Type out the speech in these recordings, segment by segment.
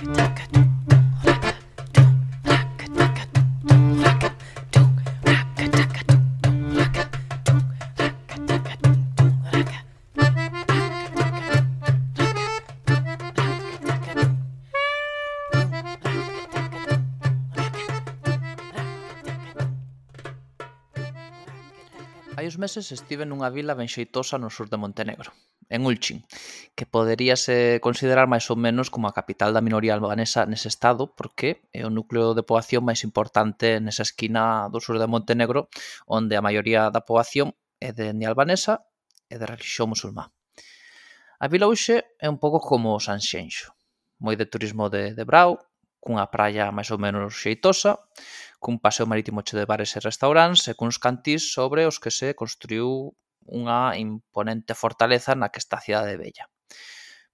Hai uns meses estive nunha vila ben xeitosa no sur de Montenegro, en Ulcin, que poderíase considerar máis ou menos como a capital da minoría albanesa nese estado porque é o núcleo de poboación máis importante nesa esquina do sur de Montenegro onde a maioría da poboación é de etnia albanesa e de relixión musulmá. A vila hoxe é un pouco como Sanxenxo, moi de turismo de brao, cunha praia máis ou menos xeitosa, cun paseo marítimo cheo de bares e restaurantes e cuns cantís sobre os que se construiu unha imponente fortaleza na que está a cidade vella.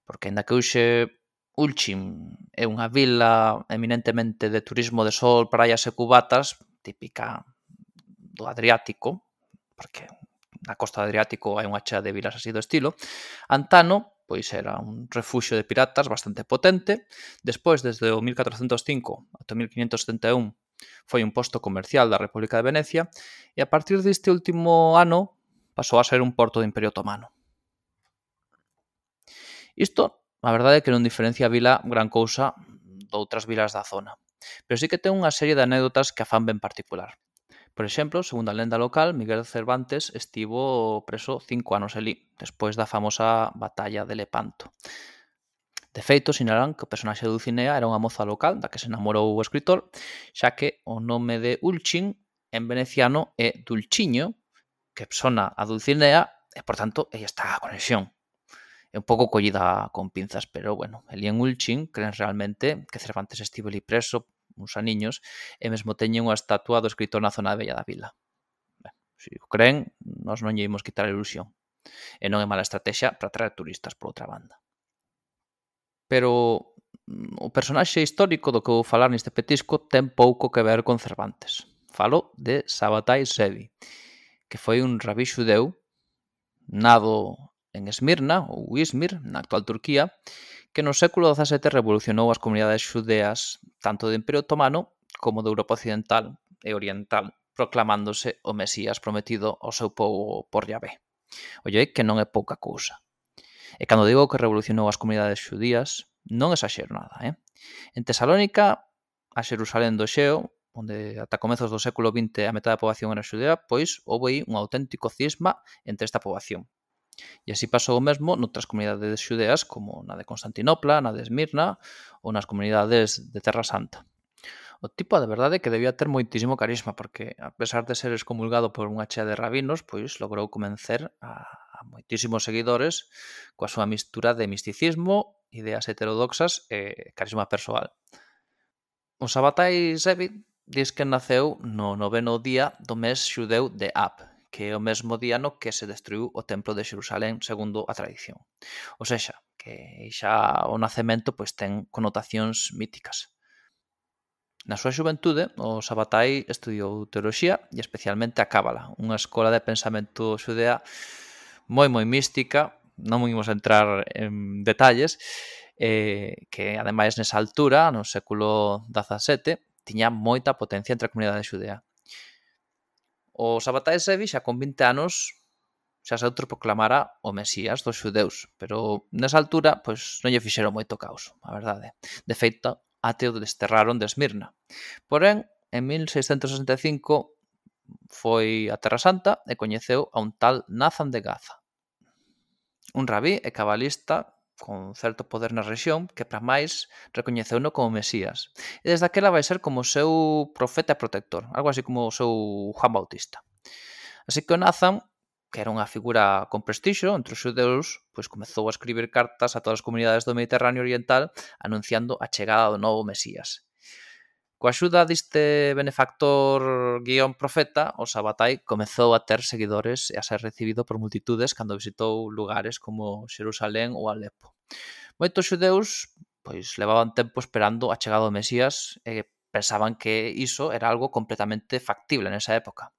Porque, aínda que hoxe Ulcim é unha vila eminentemente de turismo de sol, praias e cubatas, típica do Adriático, porque na costa do Adriático hai unha chea de vilas así do estilo, antano, pois era un refuxio de piratas bastante potente. Despois, desde o 1405 ata o 1571, foi un posto comercial da República de Venecia e a partir deste último ano pasou a ser un porto do Imperio Otomano. Isto, a verdade é que non diferencia a vila gran cousa doutras vilas da zona, pero sí que ten unha serie de anécdotas que a fan ben particular. Por exemplo, segundo a lenda local, Miguel Cervantes estivo preso 5 anos alí, despois da famosa batalla de Lepanto. De feito, sinalan que o personaxe de Dulcinea era unha moza local da que se enamorou o escritor, xa que o nome de Ulcin en veneciano é Dulciño, que sona a Dulcinea e, por tanto, aí está a conexión. É un pouco collida con pinzas, pero, bueno, elí en Ulcin creen realmente que Cervantes estivo ali preso uns aniños e mesmo teñen unha estatua do escritor na zona bella da vila. Ben, se o creen, nós non lle imos quitar a ilusión. E non é mala estrategia para atraer turistas por outra banda. Pero o personaxe histórico do que vou falar neste petisco ten pouco que ver con Cervantes. Falo de Sabbatai Zevi, que foi un rabí xudeu nado en Esmirna, ou Izmir, na actual Turquía, que no século XVII revolucionou as comunidades xudeas tanto do Imperio Otomano como da Europa Occidental e Oriental, proclamándose o Mesías prometido ao seu povo por Yahvé. Olle, que non é pouca cousa. E cando digo que revolucionou as comunidades xudías, non exaxero nada. En Tesalónica, a Xerusalén do Xeo, onde ata comezos do século XX a metade da poboación era xudea, pois houve aí un auténtico cisma entre esta poboación. E así pasou o mesmo noutras comunidades xudeas como na de Constantinopla, na de Esmirna ou nas comunidades de Terra Santa. O tipo, de verdade, que debía ter moitísimo carisma, porque, a pesar de ser excomulgado por unha chea de rabinos, pois logrou convencer a moitísimos seguidores coa súa mistura de misticismo, ideas heterodoxas e carisma persoal. O Sabbatai Zevi diz que naceu no 9º día do mes xudeu de Ab, que é o mesmo día no que se destruiu o templo de Xerusalén segundo a tradición. O sexa, que xa o nacemento pois ten connotacións míticas. Na súa xuventude, o Sabbatai estudiou teoloxía e especialmente a Cábala, unha escola de pensamento xudea moi mística, non imos entrar en detalles, que ademais nesa altura, no século XVII, tiña moita potencia entre a comunidade xudea. O Sabbatai Zevi xa con 20 anos xa se autoproclamara o Mesías dos xudeus, pero nesa altura pois non lle fixeron moito caos, a verdade. De feito, até o desterraron de Esmirna. Porén, en 1665 foi a Terra Santa e coñeceu a un tal Nathan de Gaza, un rabí e cabalista con certo poder na rexión que, para máis, recoñeceuno como Mesías. E desde aquela vai ser como o seu profeta e protector, algo así como o seu Juan Bautista. Así que o Nathan, que era unha figura con prestixio entre os xudeus, pois comezou a escribir cartas a todas as comunidades do Mediterráneo Oriental anunciando a chegada do novo Mesías. Coa axuda deste benefactor guión profeta, o Sabbatai comezou a ter seguidores e a ser recibido por multitudes cando visitou lugares como Xerusalén ou Alepo. Moitos xudeus pois levaban tempo esperando a chegada do Mesías e pensaban que iso era algo completamente factible nesa época.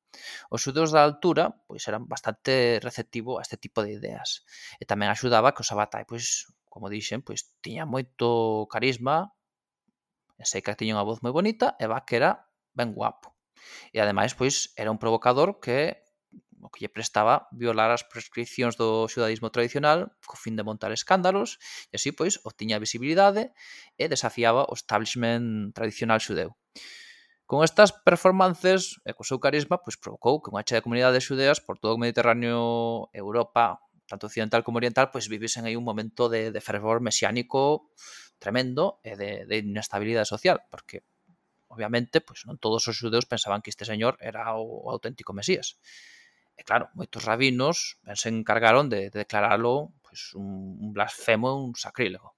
Os xudeus da altura pois eran bastante receptivo a este tipo de ideas e tamén axudaba que o Sabbatai, pois, como dixen, pois tiña moito carisma sei que tiña unha voz moi bonita e va que era ben guapo. E ademais, pois, era un provocador que o que lle prestaba violar as prescripcións do xudaísmo tradicional co fin de montar escándalos e así, pois, obtiña visibilidade e desafiaba o establishment tradicional xudeu. Con estas performances e co seu carisma, pois provocou que unha chea de comunidades xudeas por todo o Mediterráneo, Europa, tanto occidental como oriental, pois vivisen aí un momento de fervor mesiánico tremendo e de inestabilidade social, porque obviamente, pois non todos os xudeus pensaban que este señor era o auténtico Mesías. E claro, moitos rabinos se encargaron de declaralo pois, un blasfemo, un sacrílego.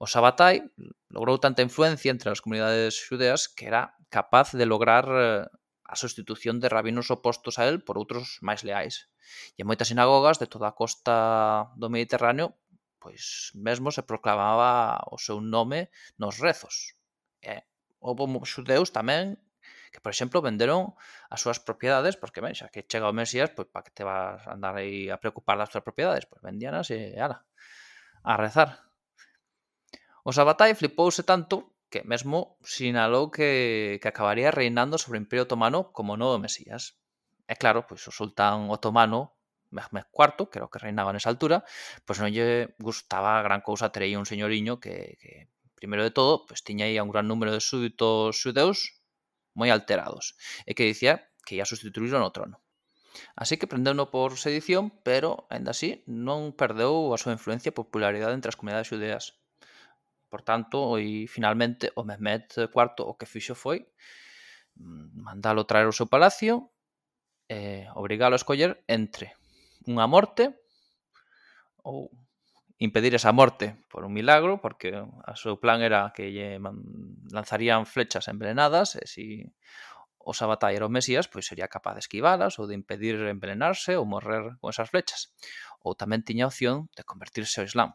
O Sabbatai logrou tanta influencia entre as comunidades xudeas que era capaz de lograr a sustitución de rabinos opostos a él por outros máis leais. E en moitas sinagogas de toda a costa do Mediterráneo pois mesmo se proclamaba o seu nome nos rezos. E houve xudeus tamén que, por exemplo, venderon as súas propiedades, porque, ben, xa que chega o Mesías, pois para que te vas a andar aí a preocupar das túas propiedades? Pois vendíanas e, ala, a rezar. O Sabbatai flipouse tanto que mesmo sinalou que acabaría reinando sobre o Imperio Otomano como novo Mesías. E claro, pois o sultán otomano, Mehmed IV, que era o que reinaba nesa altura, pois non lle gustaba gran cousa ter aí un señoriño que primeiro de todo, pois tiña aí un gran número de súditos xudeus moi alterados, e que dicía que ia sustituirlo no trono. Así que prendeuno por sedición, pero, aínda así, non perdeu a súa influencia e popularidade entre as comunidades xudeas. Por tanto, e finalmente, o Mehmed IV o que fixo foi mandalo traer ao seu palacio e obrigalo a escoller entre unha morte ou impedir esa morte por un milagro, porque o seu plan era que lle lanzarían flechas envenenadas e se o Sabbatai era o Mesías, pois sería capaz de esquivalas ou de impedir envenenarse ou morrer con esas flechas. Ou tamén tiña a opción de convertirse ao Islam.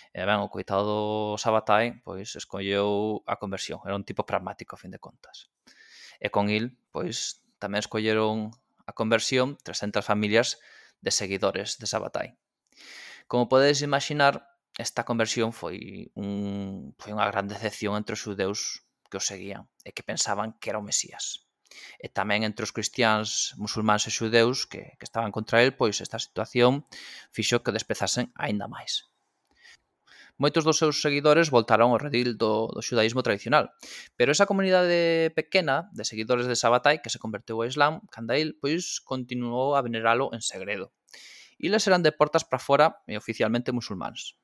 E ben, o coitado do Sabbatai pois escolleu a conversión. Era un tipo pragmático, a fin de contas. E con il, pois, tamén escolleron a conversión 300 familias de seguidores de Sabbatai. Como podedes imaginar, esta conversión foi unha gran decepción entre os xudeus que os seguían e que pensaban que era o Mesías. E tamén entre os cristiáns, musulmáns e xudeus que estaban contra el, pois esta situación fixo que desprezasen aínda máis. Moitos dos seus seguidores voltaron ao redil do xudaísmo tradicional, pero esa comunidade pequena de seguidores de Sabbatai que se converteu ao Islam, canda il, pois continuou a veneralo en segredo. Iles eran de portas para fora e oficialmente musulmáns.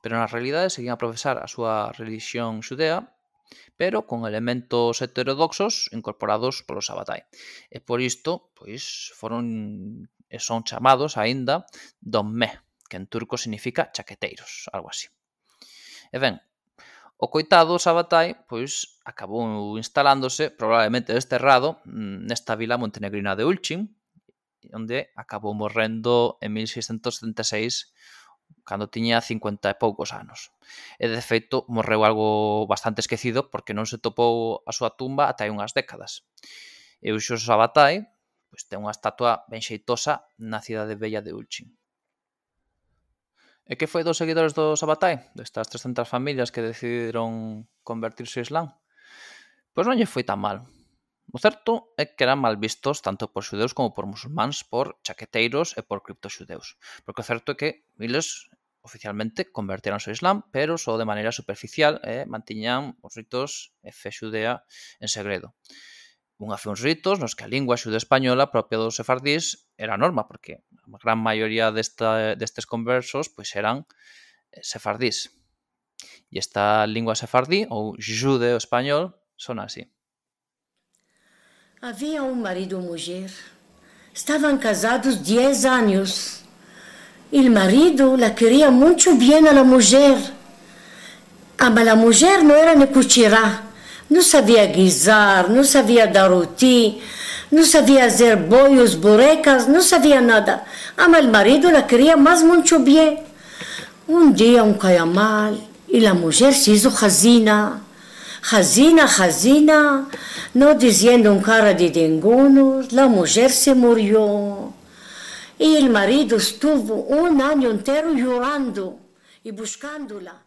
Pero na realidade seguían a profesar a súa religión xudea, pero con elementos heterodoxos incorporados polo Sabbatai. E por isto, pois, foron e son chamados aínda dommeh, que en turco significa chaqueteiros, algo así. E ben, o coitado Sabbatai, pois, acabou instalándose, probablemente desterrado, nesta vila montenegrina de Ulcin, onde acabou morrendo en 1676 cando tiña 50 e poucos anos. E, de feito, morreu algo bastante esquecido porque non se topou a súa tumba ata hai unhas décadas. E o Sabbatai pois, ten unha estatua ben xeitosa na cidade bella de Ulcin. E que foi dos seguidores do Sabbatai? Destas 300 familias que decidiron convertirse ao Islam? Pois non lle foi tan mal. O certo é que eran mal vistos tanto por xudeus como por musulmáns, por chaqueteiros e por criptoxudeus. Porque o certo é que eles oficialmente converteronse ao Islam, pero só de maneira superficial e mantiñan os ritos e fe xudea en segredo. Unha fe uns ritos nos que a lingua xudo-española propia dos sefardís era a norma, porque a gran maioría destes conversos pois eran sefardís. E esta lingua sefardí, ou judeo-español, son así. Havia um marido e mulher. Estavam casados 10 anos. O marido la queria muito bem a la mulher. Mas a mulher não era nem cozinhar. Não sabia guisar, não sabia dar roti, não sabia fazer bolhos, burecas, não sabia nada. Mas o marido la queria mais muito bem. Um dia caia mal e a mulher se hizo hazina. Hazina, no diciendo un cara de dengonos, la mujer se murió. Y el marido estuvo un año entero llorando y buscándola.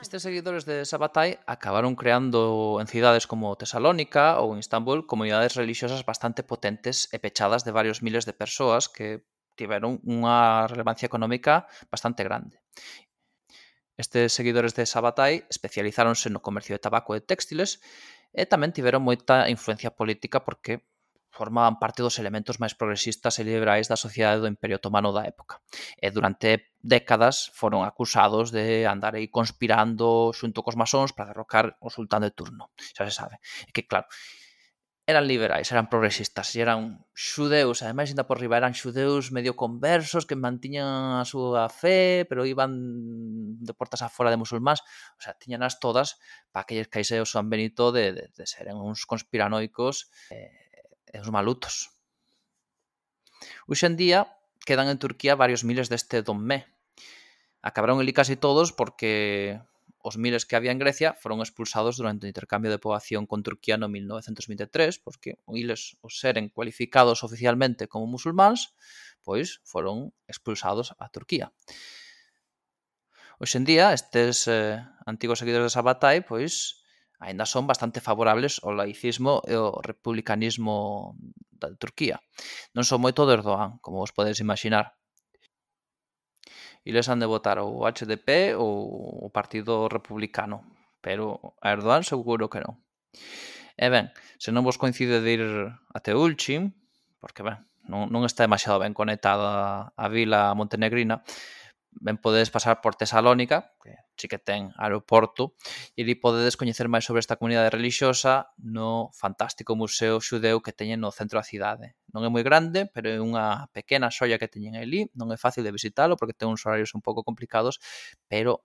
Estes seguidores de Sabbatai acabaron creando en cidades como Tesalónica ou Istambul comunidades religiosas bastante potentes e pechadas de varios miles de persoas que tiveron unha relevancia económica bastante grande. Estes seguidores de Sabbatai especializáronse no comercio de tabaco e téxtiles e tamén tiveron moita influencia política porque formaban parte dos elementos máis progresistas e liberais da sociedade do Imperio Otomano da época. E durante décadas foron acusados de andar aí conspirando xunto cos masóns para derrocar o sultán de turno. Xa se sabe. E que, claro, eran liberais, eran progresistas e eran xudeus, ademais, ainda por riba, eran xudeus medio conversos que mantiñan a súa fe, pero iban de portas afora de musulmáns. O sea, tiñanas todas para que lles caise o San Benito de seren uns conspiranoicos e uns malutos. Hoxe en día quedan en Turquía varios miles deste donmé. Acabaron ali casi todos porque os miles que había en Grecia foron expulsados durante o intercambio de poboación con Turquía no 1923, porque eles, os seren cualificados oficialmente como musulmáns, pois foron expulsados a Turquía. Hoxe en día, estes antigos seguidores de Sabbatai, pois, aínda son bastante favorables ao laicismo e ao republicanismo da Turquía. Non son moito de Erdogan, como vos podedes imaginar. Eles han de votar ou o HDP ou o Partido Republicano, pero a Erdogan seguro que non. E ben, se non vos coincide de ir até Ulcim, porque ben, non está demasiado ben conectada a vila montenegrina, ben podedes pasar por Tesalónica, que sí que ten aeroporto, e ali podedes coñecer máis sobre esta comunidade religiosa no fantástico museo xudeu que teñen no centro da cidade. Non é moi grande, pero é unha pequena xoia que teñen ali, non é fácil de visitalo porque ten uns horarios un pouco complicados, pero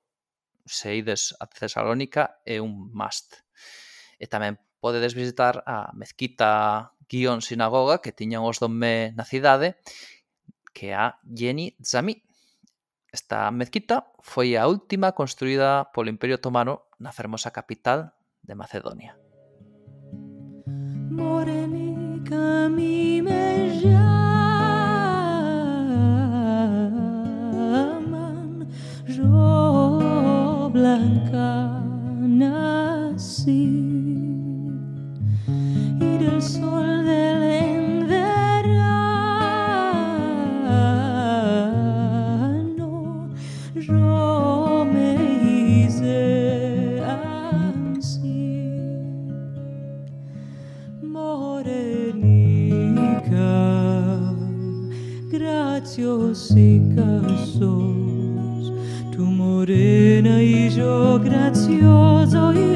se ides a Tesalónica é un must. E tamén podedes visitar a mezquita guión sinagoga que tiñan os donmé na cidade, que é a Yeni Zami. Esta mezquita foi a última construída polo Imperio Otomano na fermosa capital de Macedonia. Morenica mi me llaman, yo blanca nací, y del sol del yo me hice así, morenica, graciosica sos, tú morena y yo gracioso.